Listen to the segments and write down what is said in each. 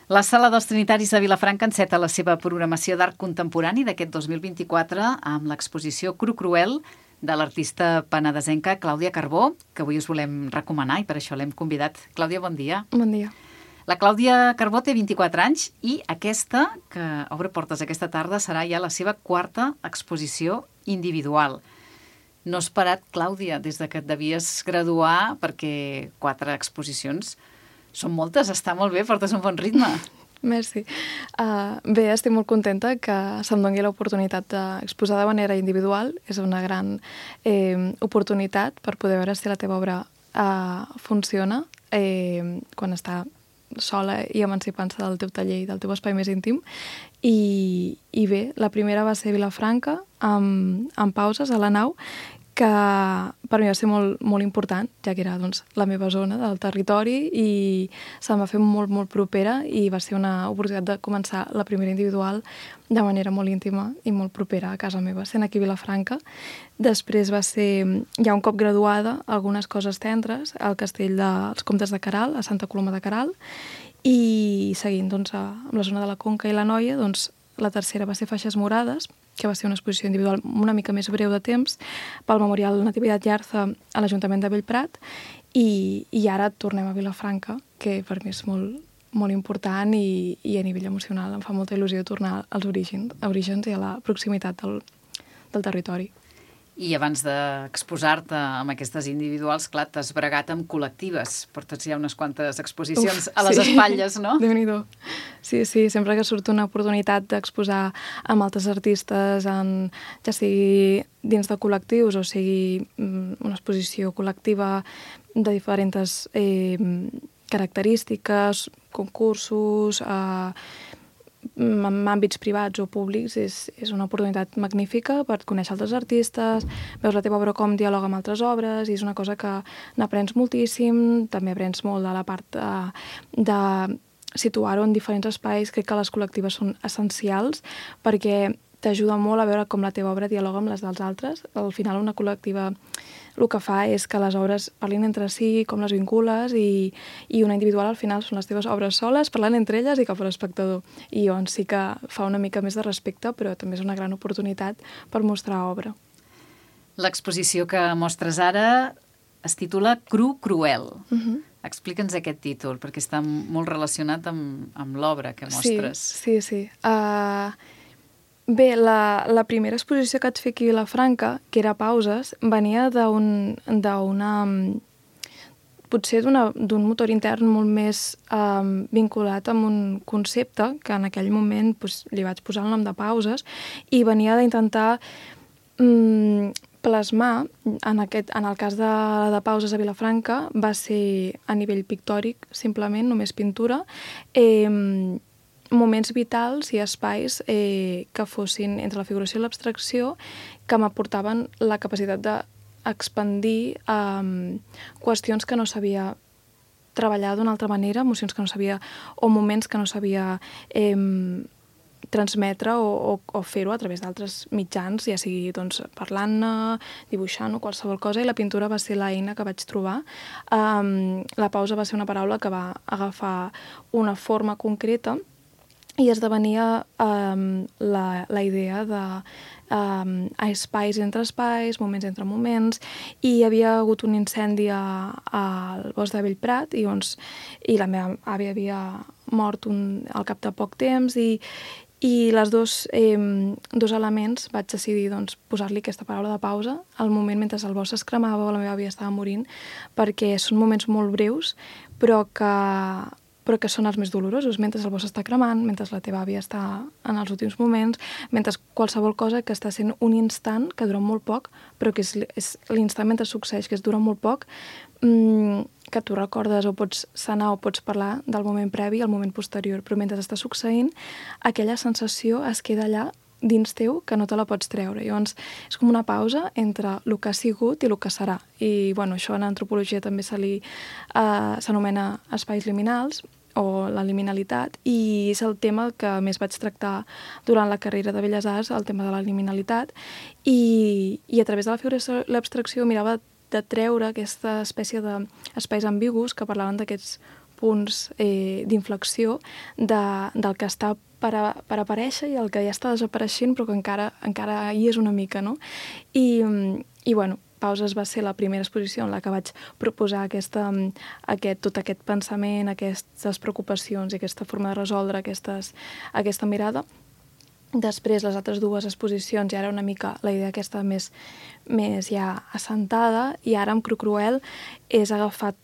La Sala dels Trinitaris de Vilafranca enceta la seva programació d'art contemporani d'aquest 2024 amb l'exposició Cru Cruel de l'artista penedesenca Clàudia Carbó, que avui us volem recomanar i per això l'hem convidat. Clàudia, bon dia. Bon dia. La Clàudia Carbó té 24 anys i aquesta, que obre portes aquesta tarda, serà ja la seva quarta exposició individual. No has parat, Clàudia, des de que et devies graduar, perquè 4 exposicions són moltes, està molt bé, portes un bon ritme. Merci. Bé, estic molt contenta que se'm doni l'oportunitat d'exposar de manera individual. És una gran oportunitat per poder veure si la teva obra funciona quan està sola i emancipant-se del teu taller i del teu espai més íntim. I bé, la primera va ser a Vilafranca, amb pauses a la nau, que per mi va ser molt, molt important, ja que era doncs, la meva zona del territori i se'm va fer molt, molt propera i va ser una oportunitat de començar la primera individual de manera molt íntima i molt propera a casa meva, sent aquí a Vilafranca. Després va ser, ja un cop graduada, algunes coses tendres al castell dels Comtes de Queralt, a Santa Coloma de Queralt, i seguint doncs, amb la zona de la Conca i la Noia, doncs, la tercera va ser Faixes Morades, que va ser una exposició individual una mica més breu de temps, pel Memorial Natividad Yarza a l'Ajuntament de Bellprat, i ara tornem a Vilafranca, que per mi és molt, molt important i a nivell emocional em fa molta il·lusió tornar als orígens i a la proximitat del territori. I abans d'exposar-te amb aquestes individuals, clar, t'has bregat amb col·lectives. Portes ja unes quantes exposicions a les espatlles, no? Déu-n'hi-do. Sí, sempre que surt una oportunitat d'exposar amb altres artistes, ja sigui dins de col·lectius o sigui una exposició col·lectiva de diferents característiques, concursos, en àmbits privats o públics, és una oportunitat magnífica per conèixer altres artistes, veus la teva obra com dialoga amb altres obres, i és una cosa que n'aprens moltíssim. També aprens molt de la part de situar-ho en diferents espais. Crec que les col·lectives són essencials perquè t'ajuda molt a veure com la teva obra dialoga amb les dels altres. Al final, una col·lectiva el que fa és que les obres parlin entre si, com les vincules, i una individual al final són les teves obres soles, parlant entre elles i cap a l'espectador. I llavors sí que fa una mica més de respecte, però també és una gran oportunitat per mostrar obra. L'exposició que mostres ara es titula Cru Cruel. Explica'ns aquest títol, perquè està molt relacionat amb l'obra que mostres. Sí. Bé, la primera exposició que vaig fer aquí a Vilafranca, que era Pauses, venia potser d'un motor intern molt més vinculat amb un concepte que en aquell moment li vaig posar el nom de Pauses, i venia d'intentar plasmar, en el cas de Pauses a Vilafranca, va ser a nivell pictòric, simplement, només pintura, moments vitals i espais que fossin entre la figuració i l'abstracció, que m'aportaven la capacitat d'expandir qüestions que no sabia treballar d'una altra manera, emocions que no sabia, o moments que no sabia transmetre o fer-ho a través d'altres mitjans, ja sigui doncs, parlant-ne, dibuixant o qualsevol cosa, i la pintura va ser l'eina que vaig trobar. La pausa va ser una paraula que va agafar una forma concreta i esdevenia la idea de espais entre espais, moments entre moments, i hi havia hagut un incendi al bosc de Bellprat i la meva àvia havia mort al cap de poc temps, i les dos elements vaig decidir posar-li aquesta paraula de pausa al moment mentre el bosc es cremava o la meva àvia estava morint, perquè són moments molt breus però que són els més dolorosos, mentre el bosc està cremant, mentre la teva àvia està en els últims moments, mentre qualsevol cosa que està sent un instant que dura molt poc, però que és l'instant mentre succeeix, que dura molt poc, que tu recordes o pots sanar o pots parlar del moment previ al moment posterior, però mentre està succeint, aquella sensació es queda allà dins teu que no te la pots treure. Llavors, és com una pausa entre el que ha sigut i el que serà. I això en antropologia també s'anomena espais liminals, o la liminalitat, i és el tema que més vaig tractar durant la carrera de Belles Arts, el tema de la liminalitat, i a través de la figuració i l'abstracció mirava de treure aquesta espècie d'espais ambigus que parlaven d'aquests punts d'inflexió del que està per aparèixer i el que ja està desapareixent però que encara hi és una mica, no? I bueno, Pauses va ser la primera exposició en la que vaig proposar tot aquest pensament, aquestes preocupacions i aquesta forma de resoldre aquesta mirada. Després, les altres dues exposicions ja era una mica la idea aquesta més ja assentada, i ara amb Cru Cruel és agafat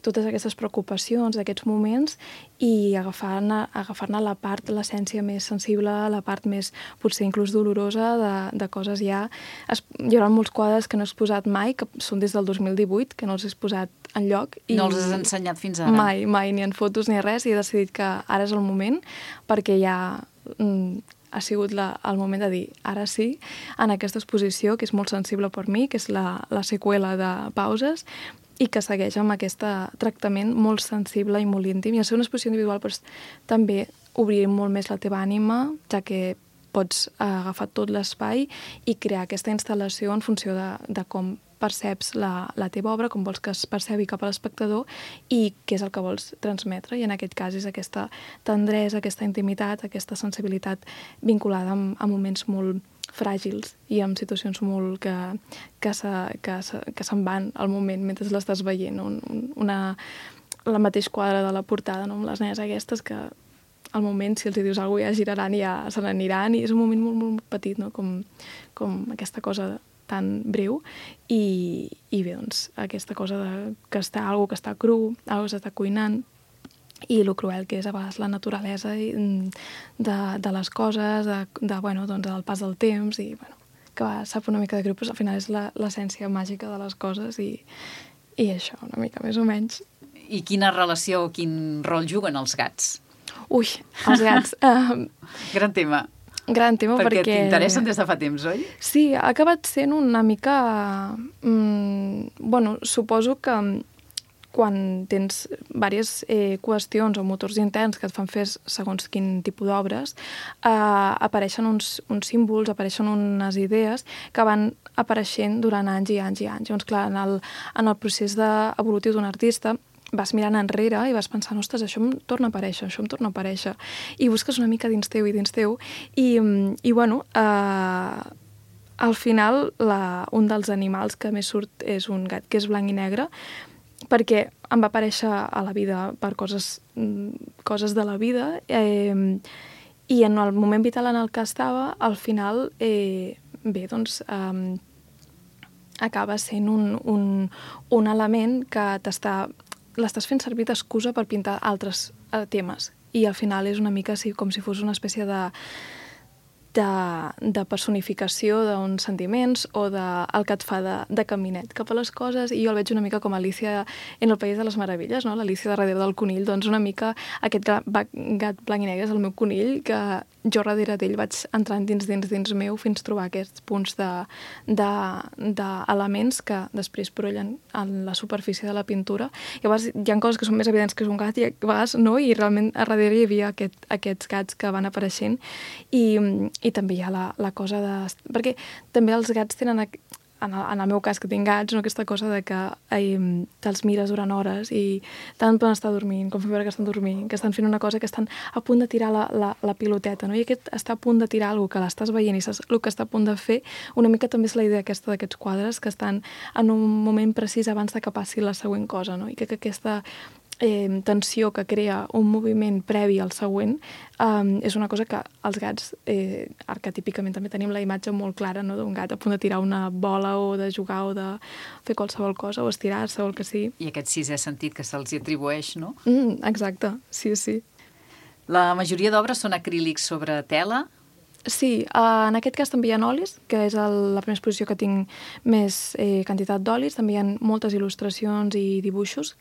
totes aquestes preocupacions d'aquests moments i agafar-ne la part, l'essència més sensible, la part més potser inclús dolorosa de coses ja. Hi haurà molts quadres que no he exposat mai, que són des del 2018, que no els he exposat enlloc. No els has ensenyat fins ara? Mai, ni en fotos ni res, i he decidit que ara és el moment, perquè ja ha sigut el moment de dir ara sí, en aquesta exposició, que és molt sensible per mi, que és la seqüela de Pauses, i que segueix amb aquest tractament molt sensible i molt íntim. I al ser una exposició individual doncs, també obrir molt més la teva ànima, ja que pots agafar tot l'espai i crear aquesta instal·lació en funció de com perceps la teva obra, com vols que es percebi cap a l'espectador i què és el que vols transmetre. I en aquest cas és aquesta tendresa, aquesta intimitat, aquesta sensibilitat vinculada a moments molt fràgils i amb situacions molt que se'n van al moment mentre l'estàs veient. El mateix quadre de la portada, no? Amb les nenes aquestes que al moment, si els dius alguna cosa, ja giraran i ja se n'aniran, i és un moment molt, molt petit, no? Com aquesta cosa tan breu, i bé, doncs, aquesta cosa que està algo que està cru, algo que s'està cuinant, i el cruel que és a vegades la naturalesa de les coses, del pas del temps, i que sap una mica de greu, però al final és l'essència màgica de les coses, i això, una mica més o menys. I quina relació o quin rol juguen els gats? Ui, els gats. Gran tema. Gran tema perquè... Perquè t'interessen des de fa temps, oi? Sí, ha acabat sent una mica... suposo que quan tens diverses qüestions o motors interns que et fan fer segons quin tipus d'obres, apareixen uns símbols, apareixen unes idees que van apareixent durant anys i anys i anys. Llavors, clar, en el procés evolutiu d'un artista, vas mirant enrere i vas pensant, ostres, això em torna a aparèixer, i busques una mica dins teu, i bueno, al final un dels animals que més surt és un gat que és blanc i negre, perquè em va aparèixer a la vida per coses de la vida, i en el moment vital en el que estava, al final, acaba sent un element que l'estàs fent servir d'excusa per pintar altres temes, i al final és una mica com si fos una espècie de personificació d'uns sentiments o el que et fa de caminet cap a les coses, i jo el veig una mica com Alicia en el País de les Meravelles, no? L'Alicia darrere del conill, doncs una mica aquest gat blanc i negre és el meu conill, que jo darrere d'ell vaig entrant dins meu fins a trobar aquests punts d'elements que després brollen en la superfície de la pintura. I a vegades hi ha coses que són més evidents que és un gat i a vegades no, i realment a darrere hi havia aquests gats que van apareixent, i també hi ha la cosa de... Perquè també els gats tenen, en el meu cas que tinc gats, no, aquesta cosa de que te'ls mires durant hores i tant poden estar dormint, com fer veure que estan dormint, que estan fent una cosa, que estan a punt de tirar la piloteta, no? I aquest està a punt de tirar alguna que l'estàs veient i saps el que està a punt de fer, una mica també és la idea aquesta d'aquests quadres, que estan en un moment precís abans de que passi la següent cosa, no? I que aquesta tensió que crea un moviment previ al següent és una cosa que els gats arquetípicament també tenim la imatge molt clara, no? D'un gat a punt de tirar una bola o de jugar o de fer qualsevol cosa o estirar-se o el que sigui. I aquest sisè sentit que se'ls atribueix, no? Exacte, sí. La majoria d'obres són acrílics sobre tela? Sí, en aquest cas també hi ha olis, que és la primera exposició que tinc més quantitat d'olis. També hi ha moltes il·lustracions i dibuixos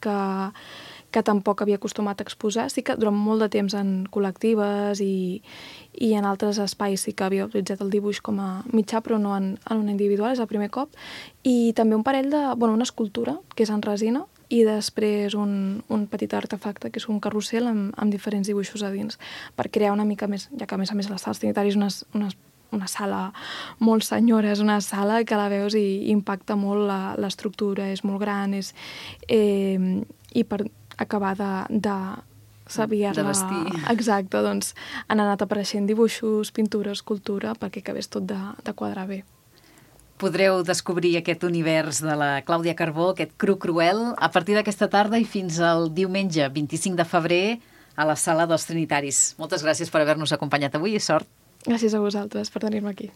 que tampoc havia acostumat a exposar. Sí que durant molt de temps en col·lectives i en altres espais sí que havia utilitzat el dibuix com a mitjà, però no en una individual, és el primer cop. I també un parell una escultura, que és en resina, i després un petit artefacte, que és un carrusel amb diferents dibuixos a dins, per crear una mica més, ja que a més les sales trinitaris una sala molt senyora, és una sala que la veus i impacta molt l'estructura, és molt gran, i per acabar de saber-la... De vestir. Exacte, doncs han anat apareixent dibuixos, pintures, escultura, perquè acabés tot de quadrar bé. Podreu descobrir aquest univers de la Clàudia Carbó, aquest cru cruel, a partir d'aquesta tarda i fins al diumenge 25 de febrer a la Sala dels Trinitaris. Moltes gràcies per haver-nos acompanyat avui i sort. Gràcies a vosaltres per tenir-me aquí.